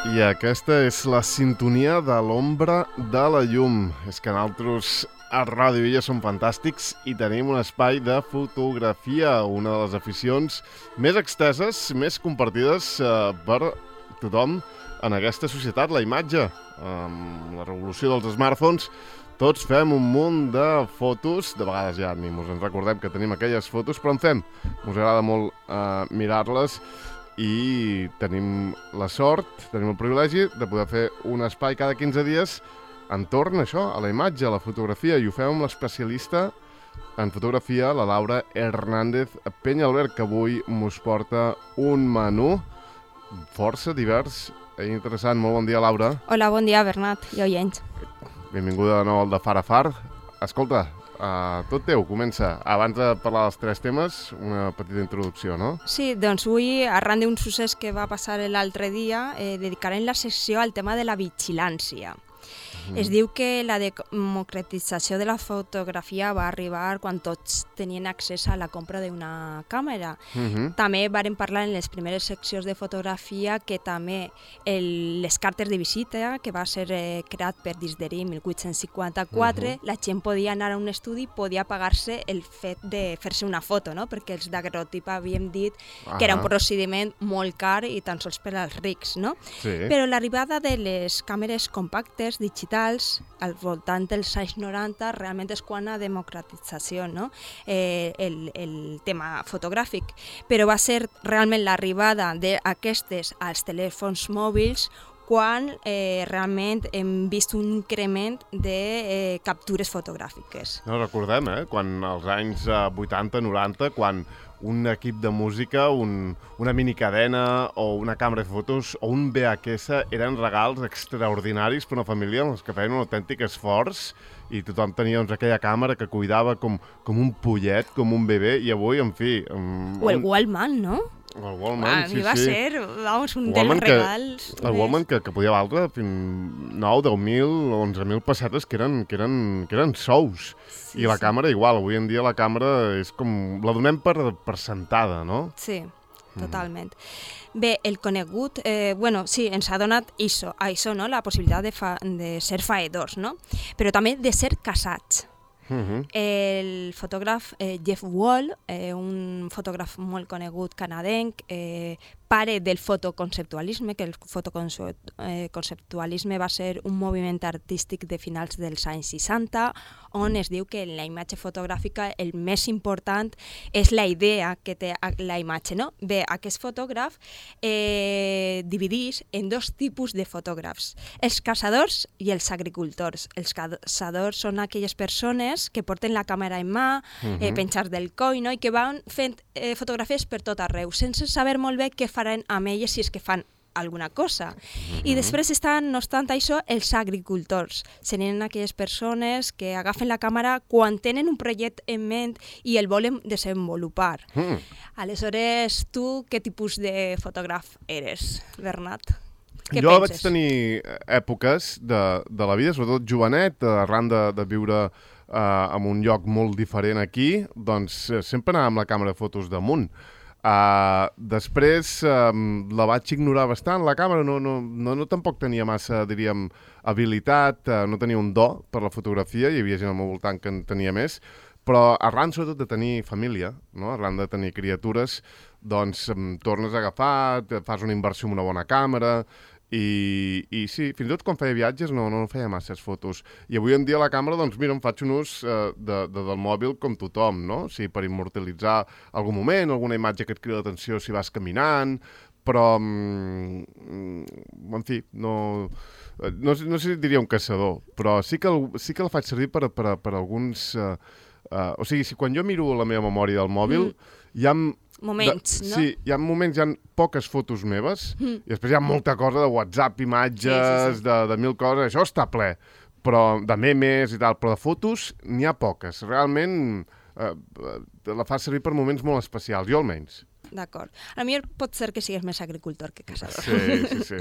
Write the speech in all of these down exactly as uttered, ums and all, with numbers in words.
I aquesta és la sintonia de l'ombra de la llum. És que nosaltres a Ràdio Illa som fantàstics i tenim un espai de fotografia, una de les aficions més exteses, més compartides eh, per tothom en aquesta societat, la imatge. Amb la revolució dels smartphones, tots fem un munt de fotos, de vegades ja ni ens recordem que tenim aquelles fotos, però en fem. Us agrada molt eh, mirar-les i tenim la sort, tenim el privilegi de poder fer un espai cada quinze dies entorn a això, a la imatge, a la fotografia, i ho fem amb l'especialista en fotografia, la Laura Hernández Peñalver, que avui mos porta un menú força divers i interessant. Molt bon dia, Laura. Hola, bon dia, Bernat i oients. Benvinguda de nou al de Far a Far. Escolta, uh, tot teu, comença. Abans de parlar dels tres temes, una petita introducció, no? Sí, doncs avui, arran d'un succés que va passar l'altre dia, eh, dedicarem la secció al tema de la vigilància. Es diu que la democratització de la fotografia va arribar quan tots tenien accés a la compra d'una càmera. Uh-huh. També vàrem parlar en les primeres seccions de fotografia que també les cartes de visita, que va ser eh, creat per Disderí mil vuit-cents cinquanta-quatre, uh-huh. la gent podia anar a un estudi i podia pagar-se el fet de fer-se una foto, no? Perquè els daguerrotip havíem dit uh-huh. que era un procediment molt car i tan sols per als rics, no? Sí. Però l'arribada de les càmeres compactes digitals al voltant dels anys noranta realment és quan la democratització, no? eh, el, el tema fotogràfic, però va ser realment l'arribada d'aquestes als telèfons mòbils quan eh, realment hem vist un increment de eh, captures fotogràfiques. No, recordem, eh? Quan als anys eh, vuitanta noranta, quan un equip de música, un, una minicadena o una càmera de fotos o un V H S eren regals extraordinaris per una família en els que feien un autèntic esforç i tothom tenia doncs, aquella càmera que cuidava com, com un pollet, com un bebè, i avui, en fi... Um, o el Wallman, no? El Wallman, a sí, mi va sí. ser, vamos, un dels regals... Que, el Wallman que, que podia valdre fins nou, deu mil, onze mil pessetes, que eren, que eren, que eren sous. Sí, I la sí. càmera igual, avui en dia la càmera és com... la donem per, per sentada, no? Sí, totalment. Mm. Bé, el conegut, eh, bueno, sí, ens ha donat això, això, no? La possibilitat de, fa, de ser faedors, no? Però també de ser casats. Uh-huh. El fotògraf eh, Jeff Wall, eh, un fotògraf molt conegut canadenc, eh, pare del fotoconceptualisme, que el fotoconceptualisme va ser un moviment artístic de finals dels anys seixanta, on es diu que en la imatge fotogràfica el més important és la idea que té la imatge, no? Bé, aquest fotògraf eh, divideix en dos tipus de fotògrafs, els caçadors i els agricultors. Els caçadors són aquelles persones que porten la càmera en mà, uh-huh. eh, penjats del coll, no? I que van fent eh, fotografies per tot arreu, sense saber molt bé què faran amb elles si és que fan alguna cosa. Uh-huh. I després estan, no obstant això, els agricultors. Serien aquelles persones que agafen la càmera quan tenen un projecte en ment i el volen desenvolupar. Uh-huh. Aleshores, tu què tipus de fotògraf eres, Bernat? Què jo penses? Vaig tenir èpoques de, de la vida, sobretot jovenet, arran de, de viure uh, en un lloc molt diferent aquí, doncs sempre anava amb la càmera de fotos damunt. Uh, després um, la vaig ignorar bastant, la càmera no, no, no, no tampoc tenia massa, diríem, habilitat, uh, no tenia un do per la fotografia, hi havia gent al meu voltant que en tenia més, però arran sobretot de tenir família, no? Arran de tenir criatures, doncs um, tornes a agafar, fas una inversió en una bona càmera, I, i sí, fins i tot quan feia viatges no, no feia masses fotos. I avui en dia la càmera, doncs mira, em faig un ús uh, de, de, del mòbil com tothom, no? O sigui, per immortalitzar algun moment, alguna imatge que et crida l'atenció si vas caminant, però, mm, en fi, no, no, no sé si diria un caçador, però sí que el, sí que el faig servir per, per, per alguns... Uh, uh, o sigui, si quan jo miro la meva memòria del mòbil, mm. hi ha... Moments, de, no? Sí, hi ha moments, hi ha poques fotos meves, mm. i després hi ha molta cosa de WhatsApp, imatges, sí, sí, sí. De, de mil coses, això està ple, però de memes i tal, però de fotos n'hi ha poques. Realment eh, la fa servir per moments molt especials, jo almenys. D'acord. A mi pot ser que sigues més agricultor que caçador. Sí, sí, sí.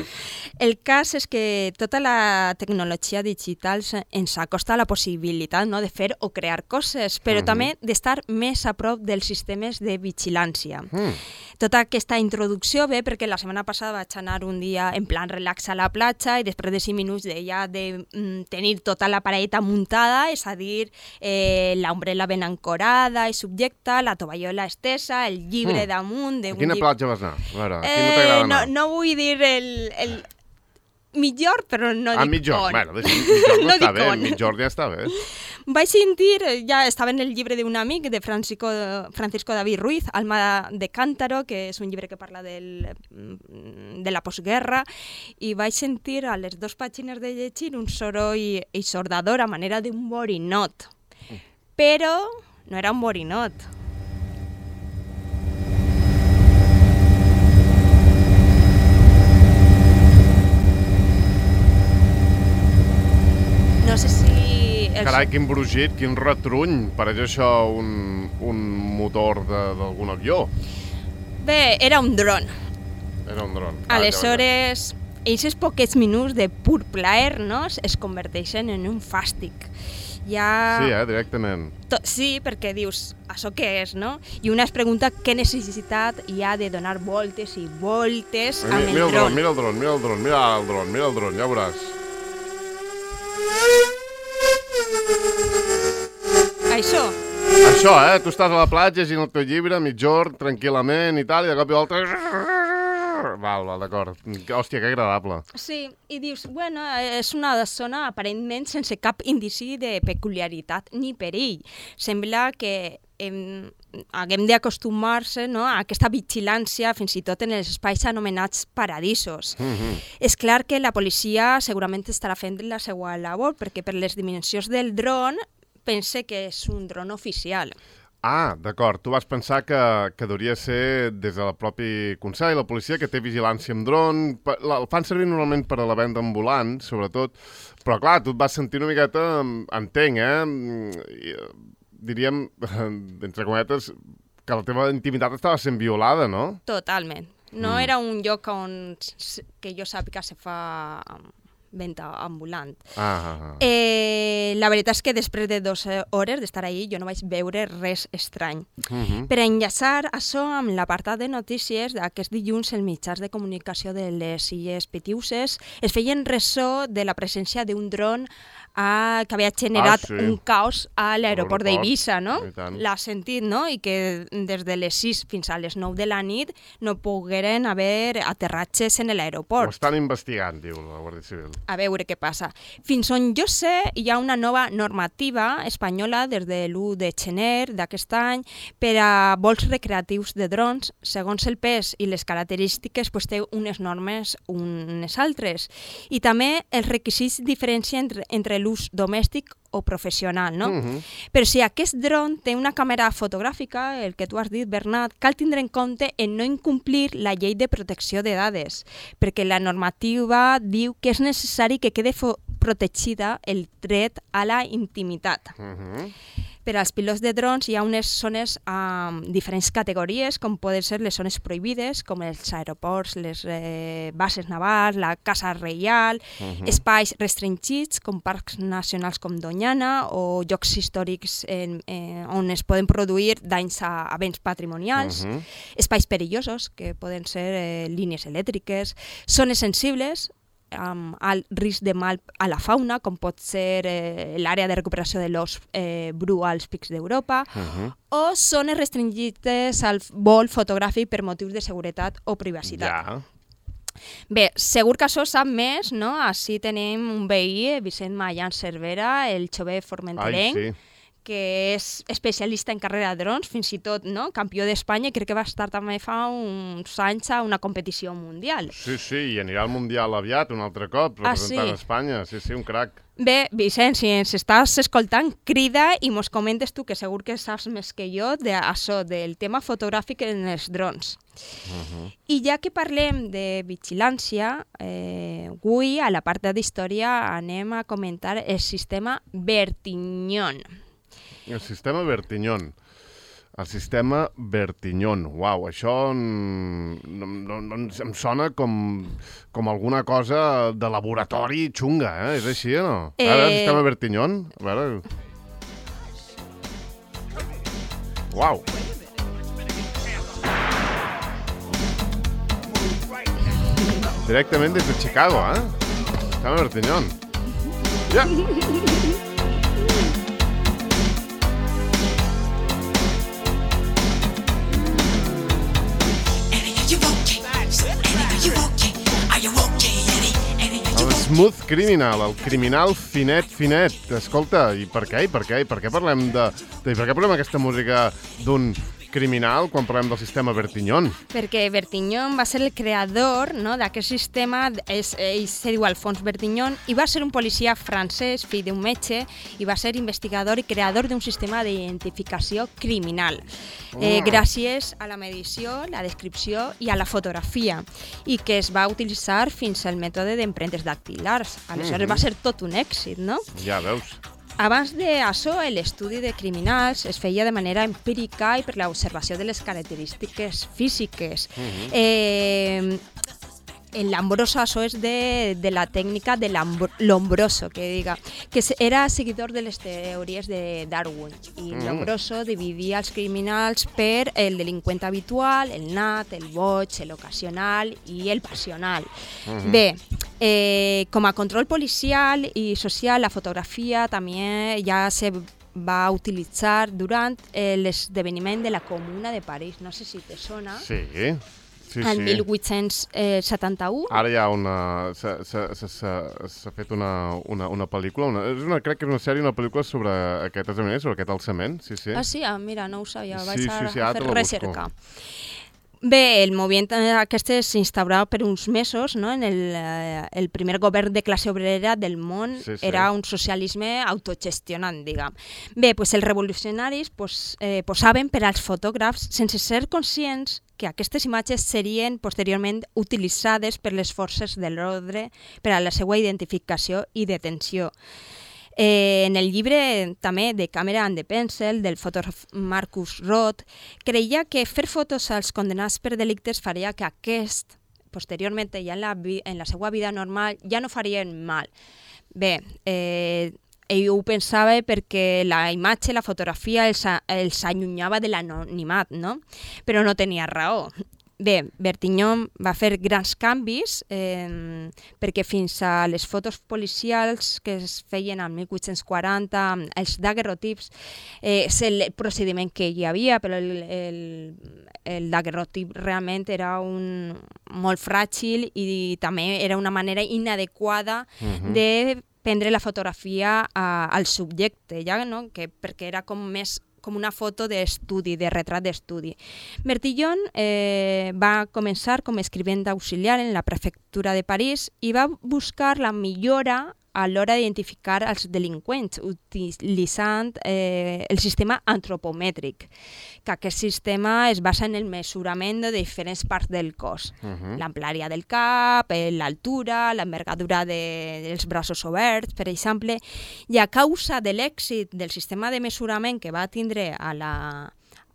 El cas és que tota la tecnologia digital ens acosta a la possibilitat, no, de fer o crear coses, però uh-huh. també d'estar més a prop dels sistemes de vigilància. Uh-huh. tota aquesta introducció ve perquè la setmana passada vaig anar un dia en plan relax a la platja i després de cinc minuts de ja de mm, tenir tota la pareta muntada, és a dir, eh, l'ombrella ben ancorada i subjecta, la tovallola estesa, el llibre mm. damunt... A quina llibre... platja vas anar? A veure, a eh, quina t'agrada anar? No, no vull dir el... el... Millor, però no ah, dic mitjor. on. Bueno, mitjor no, no està bé, on. mitjor ja està bé. Vaig sentir, ja estava en el llibre d'un amic, de Francisco, Francisco David Ruiz, Alma de Cántaro, que és un llibre que parla del, de la postguerra, i vaig sentir a les dues pàgines de llegir un soroll eixordador a manera d'un borinot. Però no era un borinot. No sé si... Els... Carai, quin brugit, quin retruny. Pareix això un, un motor d'algun avió. Bé, era un dron. Era un dron. Aleshores, aquests poquets minuts de pur plaer, no?, es converteixen en un fàstic. Ja... Sí, eh, directament. To... Sí, perquè dius, això què és, no? I una es pregunta què necessitat hi ha de donar voltes i voltes mira, amb el, mira el dron. Mira el dron, mira el dron, mira el dron, mira el dron, ja veuràs. Això. Això, eh? Tu estàs a la platja llegint el teu llibre, mitjor, tranquil·lament i tal, i de cop i volta... Val, val, d'acord. Hòstia, que agradable. Sí, i dius, bueno, és una zona aparentment sense cap indici de peculiaritat ni perill. Sembla que hem, haguem d'acostumar-se, no?, a aquesta vigilància, fins i tot en els espais anomenats paradisos. Mm-hmm. És clar que la policia segurament estarà fent la seva labor, perquè per les dimensions del dron pense que és un dron oficial. Ah, d'acord. Tu vas pensar que, que hauria de ser des del propi Consell, la policia, que té vigilància amb dron. El fan servir normalment per a la venda ambulant, sobretot. Però, clar, tu et vas sentir una miqueta, entenc, eh? Diríem, entre cometes, que la teva intimitat estava sent violada, no? Totalment. No Mm. era un lloc on, que jo sàpiga, se fa venda ambulant. Ah, ah, ah. Eh, la veritat és que després de dues hores d'estar ahí jo no vaig veure res estrany. Mm-hmm. Per enllaçar això amb l'apartat de notícies d'aquest dilluns els mitjans de comunicació de les Illes Pitiüses es feien ressò de la presència d'un dron ah, que havia generat Ah, sí. un caos a l'aeroport L'aeroport, d'Eivissa, no? i tant. L'ha sentit, no? I que des de les sis fins a les nou de la nit no pogueren haver aterratges en Ho l'aeroport. estan investigant, diu la Guàrdia Civil. A veure què passa. Fins on jo sé, hi ha una nova normativa espanyola des de l'u de gener d'aquest any per a vols recreatius de drons. Segons el pes i les característiques, pues, té unes normes unes altres. I també els requisits diferencien entre, entre l'ús domèstic o professional, no? Mm-hmm. Però si aquest dron té una càmera fotogràfica, el que tu has dit, Bernat, cal tindre en compte en no incomplir la llei de protecció de dades, perquè la normativa diu que és necessari que quede protegida el dret a la intimitat. Mm-hmm. Per als pilots de drons hi ha unes zones amb diferents categories, com poden ser les zones prohibides, com els aeroports, les eh, bases navals, la Casa Reial, Mm-hmm. espais restringits, com parcs nacionals com Doñana, o llocs històrics en, eh, on es poden produir danys a, a béns patrimonials, Mm-hmm. espais perillosos, que poden ser eh, línies elèctriques, zones sensibles, amb alt risc de mal a la fauna, com pot ser eh, l'àrea de recuperació de l'os eh, bru als pics d'Europa, Mm-hmm. o zones restringides al vol fotogràfic per motius de seguretat o privacitat. Ja. Bé, segur que això sap més, no? Així tenim un veí, Vicent Mallan Cervera, el jove Ai, formenterenc, sí. que és especialista en carrera de drons, fins i tot, no?, campió d'Espanya, i crec que va estar també fa uns anys a una competició mundial. Sí, sí, i anirà al Mundial aviat, un altre cop, Ah, representant sí? Espanya. Sí, sí, un crac. Bé, Vicent, si ens estàs escoltant, crida i mos comentes tu, que segur que saps més que jo, d'això, del tema fotogràfic en els drons. Uh-huh. I ja que parlem de vigilància, eh, avui a la part d'història anem a comentar el sistema Bertiñón. El sistema Bertiñón. El sistema Bertiñón. Uau, això mm, no, no, no, em sona com, com alguna cosa de laboratori xunga, eh? És així o no? A veure, el Eh. sistema Bertiñón. A veure... Uau. Directament des de Chicago, eh? Carme Bertiñón. Ja! El Smooth Criminal, el criminal finet, finet. Escolta, i per què? I per què? I per què parlem de... I per què parlem aquesta música d'un criminal quan parlem del sistema Bertiñón? Perquè Bertiñón va ser el creador, no, d'aquest sistema, és, ell se diu Alphonse Bertiñón, i va ser un policia francès, fill d'un metge, i va ser investigador i creador d'un sistema d'identificació criminal, eh, gràcies a la medició, la descripció i a la fotografia, i que es va utilitzar fins al mètode d'empremtes dactilars. Aleshores mm-hmm. va ser tot un èxit, no? Ja veus. Abans d'això, l'estudi de criminals es feia de manera empírica i per l'observació de les característiques físiques. Uh-huh. eh, L'Ambroso, això és de, de la tècnica de l'Ombroso, que diga, que era seguidor de les teories de Darwin. I mm. l'Ombroso dividia els criminals per el delinqüent habitual, el nat, el boig, l'ocasional i el passional. Mm-hmm. Bé, eh, com a control policial i social, la fotografia també ja se va utilitzar durant eh, l'esdeveniment de la Comuna de París. No sé si te sona. Sí. Sí, en sí. mil vuit-cents setanta-u. Ara hi ha una... s'ha fet una, una, una pel·lícula, una, és una, crec que és una sèrie, una pel·lícula sobre aquest esdeveniment, sobre aquest alçament, sí, sí. Ah, sí? Ah, mira, no ho sabia, vaig sí, a, sí, sí, a ara fer te la recerca. Bé, el moviment aquest s'instaurava per uns mesos, no? En el, eh, el primer govern de classe obrera del món sí, sí. era un socialisme autogestionant, diguem. Bé, pues els revolucionaris pues, eh, posaven per als fotògrafs sense ser conscients que aquestes imatges serien posteriorment utilitzades per les forces de l'ordre per a la seva identificació i detenció. Eh, en el llibre també de Camera and the Pencil del fotògraf Marcus Roth creia que fer fotos als condenats per delictes faria que aquest, posteriorment ja en la, en la seva vida normal, ja no farien mal. Bé, eh, ell ho pensava perquè la imatge, la fotografia els, els allunyava de l'anonimat, no? Però no tenia raó. Bé, Bertiñón va fer grans canvis eh, perquè fins a les fotos policials que es feien al mil vuit-cents quaranta, els daguerrotips, eh, és el procediment que hi havia, però el, el, el daguerrotip realment era un, molt fràgil i també era una manera inadequada uh-huh. de prendre la fotografia a, al subjecte, ja, no? que, perquè era com més com una foto d'estudi, de retrat d'estudi. Bertillon eh, va començar com a escrivent auxiliar en la prefectura de París i va buscar la millora a l'hora d'identificar els delinqüents utilitzant eh, el sistema antropomètric, que aquest sistema es basa en el mesurament de diferents parts del cos. Uh-huh. L'amplària del cap, l'altura, l'envergadura de, dels braços oberts, per exemple, i a causa de l'èxit del sistema de mesurament que va tindre a la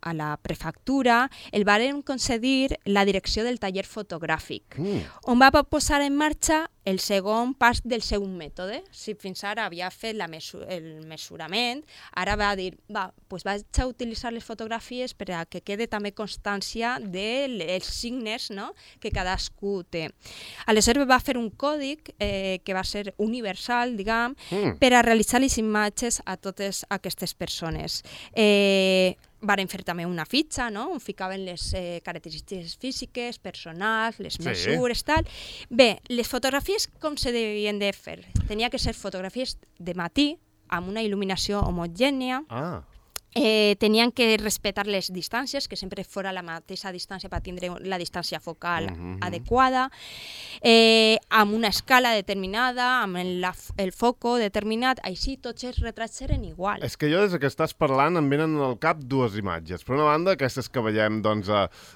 a la prefectura, el varen concedir la direcció del taller fotogràfic, mm. on va posar en marxa el segon pas del seu mètode. Si fins ara havia fet la mesu el mesurament, ara va dir, va, pues vaig a utilitzar les fotografies per a que quede també constància dels signes, no?, que cadascú té. Aleshores va fer un còdic eh, que va ser universal, diguem, mm. per a realitzar les imatges a totes aquestes persones. Eh, Varen fer també una fitxa, no?, on ficaven les eh, característiques físiques, personals, les sí. mesures, tal. Bé, les fotografies com se devien de fer? Tenia que ser fotografies de matí, amb una il·luminació homogènia. Ah. Eh, tenien que respectar les distàncies, que sempre fora la mateixa distància per tindre la distància focal uh-huh. adequada, eh, amb una escala determinada, amb el, la, el foco determinat, així tots els retrats eren igual. És que jo des que estàs parlant em venen al cap dues imatges. Per una banda, aquestes que veiem doncs,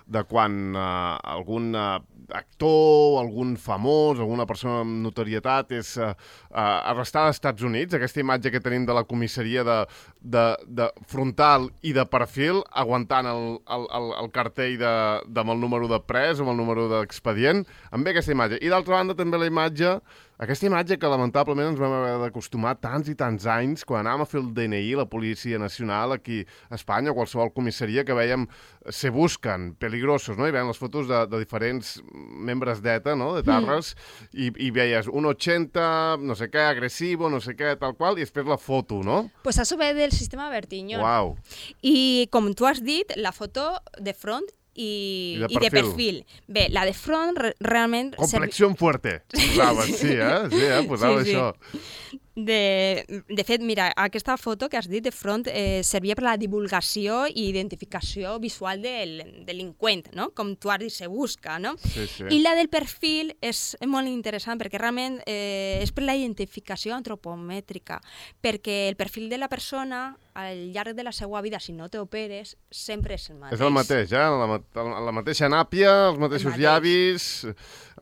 de quan uh, algun uh, actor, algun famós, alguna persona amb notorietat és uh, uh, arrestada als Estats Units, aquesta imatge que tenim de la comissaria de, de, de fronterer frontal i de perfil, aguantant el, el, el, el cartell de, de, amb el número de pres, amb el número d'expedient, em ve aquesta imatge. I d'altra banda també la imatge, aquesta imatge que lamentablement ens vam haver d'acostumar tants i tants anys quan anàvem a fer el D N I, la Policia Nacional, aquí a Espanya, o qualsevol comissaria, que veiem se busquen, peligrosos, no? I veiem les fotos de, de diferents membres d'ETA, no? De Tarres, mm. i, i veies un ochenta, no sé què, agressivo, no sé què, tal qual, i després la foto, no? Pues això ve del sistema Bertiñón. Uau. I com tu has dit, la foto de front I, I, de i de perfil. Bé, la de front re realment... Complexió servi... fuerte. Posava, sí, eh? Sí, eh? Posava sí, sí. això. De, de fet, mira, aquesta foto que has dit de front eh, servia per la divulgació i identificació visual del delinqüent, no? Com tu has dit, se busca, no? Sí, sí. I la del perfil és molt interessant perquè realment eh, és per la identificació antropomètrica, perquè el perfil de la persona al llarg de la seva vida, si no t'operes, sempre és el mateix. És el mateix, eh? La, la, la mateixa nàpia, els mateixos mateix. llavis,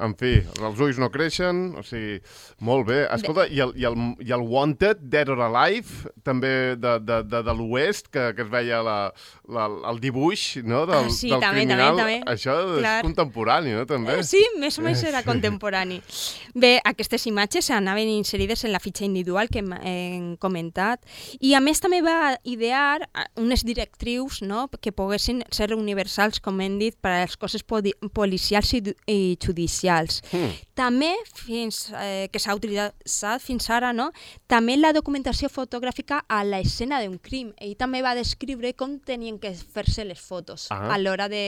en fi, els ulls no creixen, o sigui, molt bé. Escolta, i el, i el, i el Wanted, Dead or Alive, també de, de, de, de l'Oest, que, que es veia la, la, el dibuix, no?, del, ah, sí, del també, criminal. També, també. Això Clar. és contemporani, no?, també. Eh, sí, més o menys era contemporani. Bé, aquestes imatges anaven inserides en la fitxa individual que hem, hem comentat, i a més també va idear unes directrius, no?, que poguessin ser universals, com hem dit, per als cossos policials i, i judicials. Mm. També, fins eh, que s'ha utilitzat fins ara, no?, també la documentació fotogràfica a l'escena d'un crim. Ell també va descriure com tenien que fer-se les fotos ah. a l'hora de,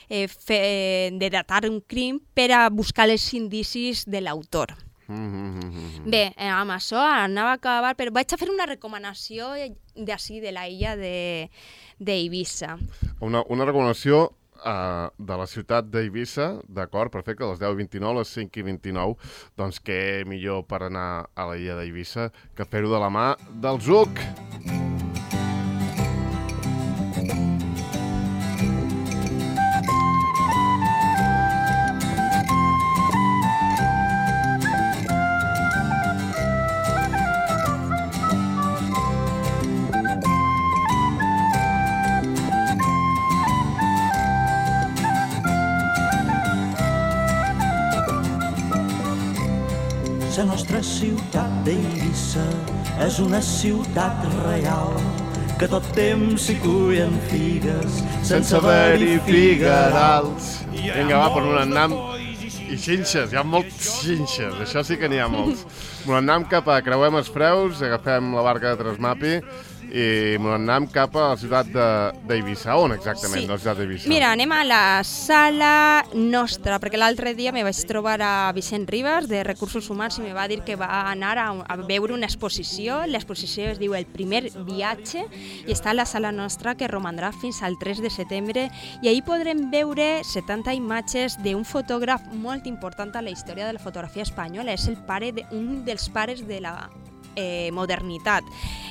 eh, fer, de datar un crim per a buscar els indicis de l'autor. Mm-hmm. Bé, amb això anava a acabar, però vaig a fer una recomanació d'ací, de la illa d'Eivissa. Una, una recomanació uh, de la ciutat d'Eivissa, d'acord, perfecte, a les deu i vint-i-nou, a les cinc i vint-i-nou, doncs què millor per anar a la illa d'Eivissa que fer-ho de la mà del Zuc. La nostra ciutat d'Eivissa és una ciutat real que tot temps s'hi cullen figues sense haver-hi figuerals. Vinga, va, per un annam i xinxes, hi ha molts xinxes, això sí que n'hi ha molts. Un annam cap a creuem els Freus, agafem la barca de Trasmapi i anem cap a la ciutat d'Eivissa. On exactament, sí. La ciutat d'Eivissa? Mira, anem a la sala nostra, perquè l'altre dia me vaig trobar a Vicent Ribas, de Recursos Humans, i me va dir que va anar a, a veure una exposició. L'exposició es diu El primer viatge i està a la sala nostra, que romandrà fins al tres de setembre, i ahir podrem veure setanta imatges d'un fotògraf molt important a la història de la fotografia espanyola. És el pare de, un dels pares de la Eh, modernitat.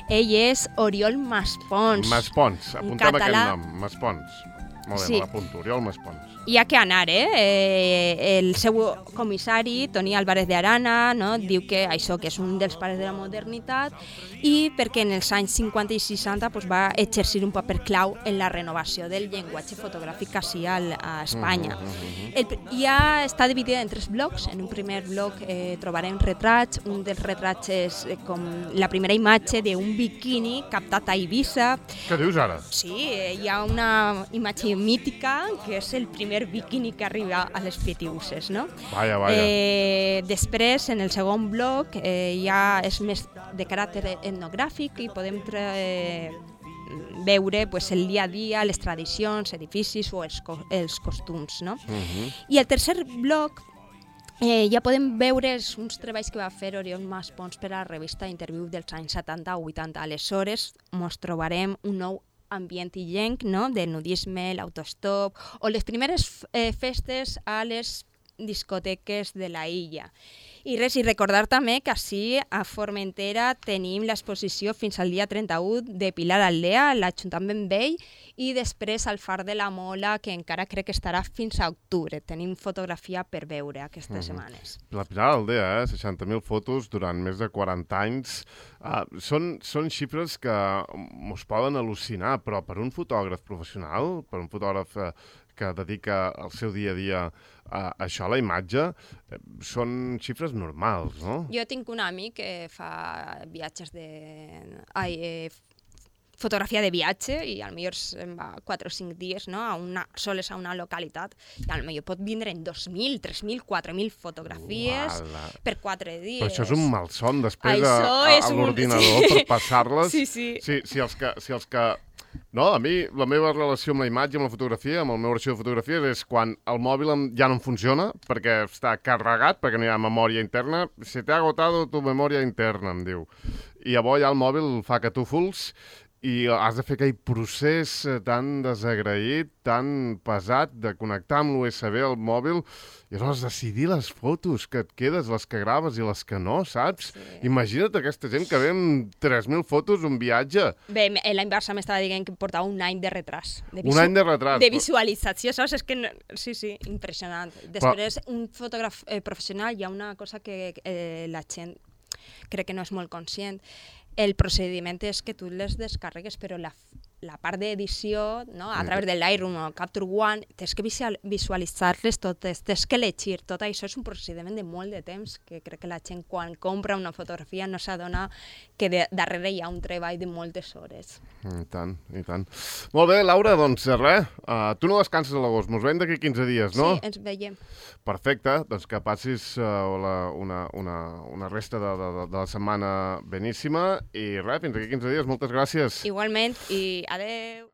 Ell és Oriol Maspons. Maspons, apunta'm aquest nom, Maspons. Molt bé, sí. Me l'apunto, Oriol Maspons. Hi ha que anar, eh? eh? El seu comissari, Toni Álvarez de Arana, no? Diu que això que és un dels pares de la modernitat, i perquè en els anys cinquanta i seixanta pues, va exercir un paper clau en la renovació del llenguatge fotogràfic així a Espanya. Mm-hmm. El, ja està dividida en tres blocs. En un primer bloc eh, trobarem retrats. Un dels retrats és eh, com la primera imatge d'un biquini captat a Eivissa. Què dius ara? Sí, eh, hi ha una imatge mítica que és el primer biquini que arriba a les Pitiuses, no? Vaja, vaja. Eh, després, en el segon bloc, eh, ja és més de caràcter etnogràfic i podem eh, veure pues, el dia a dia, les tradicions, edificis o els, co els costums, no? Uh-huh. I el tercer bloc Eh, ja podem veure uns treballs que va fer Oriol Maspons per a la revista Interviu dels anys setanta o vuitanta. Aleshores, ens trobarem un nou ambient illenc, no?, del nudisme, l'autostop, o les primeres eh, festes a les discoteques de la illa. I res, i recordar també que així a Formentera tenim l'exposició fins al dia trenta-u de Pilar Aldea, l'Ajuntament Vell, i després al Far de la Mola, que encara crec que estarà fins a octubre. Tenim fotografia per veure aquestes mm-hmm. setmanes. La Pilar Aldea, eh? seixanta mil fotos durant més de quaranta anys. Uh, són, són xifres que us poden al·lucinar, però per un fotògraf professional, per un fotògraf uh, que dedica el seu dia a dia a això, a la imatge, eh, són xifres normals, no? Jo tinc un amic que fa viatges de... Ai, eh, fotografia de viatge i potser se'n va quatre o cinc dies, no? a una, soles a una localitat i potser pot vindre en dos mil, tres mil, quatre mil fotografies Uala. per quatre dies. Però això és un malson després Això a, a, és a un- l'ordinador sí. per passar-les. Sí, sí. Si, si, els que, si els que... No, a mi la meva relació amb la imatge, amb la fotografia, amb el meu arxiu de fotografies és quan el mòbil em- ja no em funciona perquè està carregat, perquè no hi ha memòria interna. Se t'ha agotado tu memòria interna, em diu. I llavors ja el mòbil fa catúfols i has de fer aquell procés eh, tan desagraït, tan pesat, de connectar amb l'U S B al mòbil i aleshores decidir les fotos que et quedes, les que graves i les que no, saps? Sí. Imagina't aquesta gent que ve amb tres mil fotos un viatge. Bé, l'any Barça m'estava dient que portava un any de retras. De Un any de retras. De visualització, saps? És que, no... sí, sí, impressionant. Després, un fotògraf eh, professional, hi ha una cosa que eh, la gent crec que no és molt conscient. El procediment és que tu les descarregues, però la, la part d'edició, no? a través de Lightroom o Capture One, tens que visual- visualitzar-les totes, tens que llegir. Tot això és un procediment de molt de temps, que crec que la gent quan compra una fotografia no s'adona que de, darrere hi ha un treball de moltes hores. I tant, i tant. Molt bé, Laura, doncs res, uh, tu no descanses a l'agost, mos veiem d'aquí quinze dies, no? Sí, ens veiem. Perfecte, doncs que passis uh, la, una, una, una resta de, de, de la setmana beníssima i res, fins d'aquí quinze dies, moltes gràcies. Igualment, i adeu.